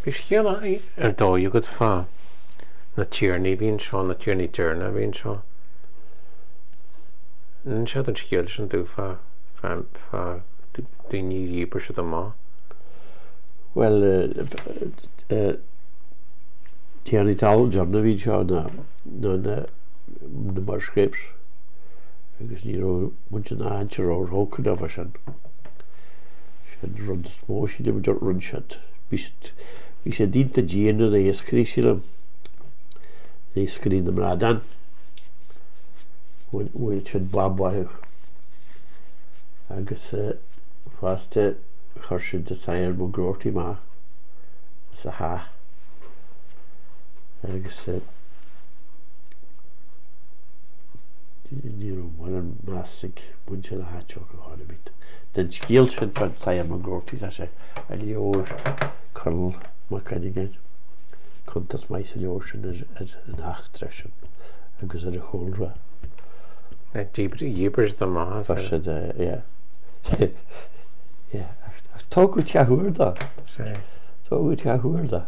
Bhí scéal ar dóigh agat fá na tiarnaí a bhí anseo, na tiarnaí deireanacha a bhí anseo. Inis an scéal sin domh fá fá fá daoine a dhíbir siad amach. Bhuel, tiarnaí talún deireanacha a bhí anseo ná ná na na Musgraves agus ní raibh muintir na háite róthógtha leo sin. Sin an rud is mó sílim a rinne siad. Bhí siad bhí siad iontach dian ar na hiascairí sílim. Na hiascairí na mbradán. Bhuail siad bob orthu. Agus fosta chuir siad an tSathair Mac Groarty amach as a theach. Agus ní raibh mórán meas ag muintir na háite orthu chor ar bith. Den scéal sin fán tSathair Mac Groarty tá sé i leabhar Conall Mac Cuinneagáin, cuntas maith sa leabhar sin ar an eachtra sin agus ar a chúlra. Dhíbir siad amach as é. Siad, yeah. Yeah, ach tógadh teach úr dó. Tógadh teach úr dó.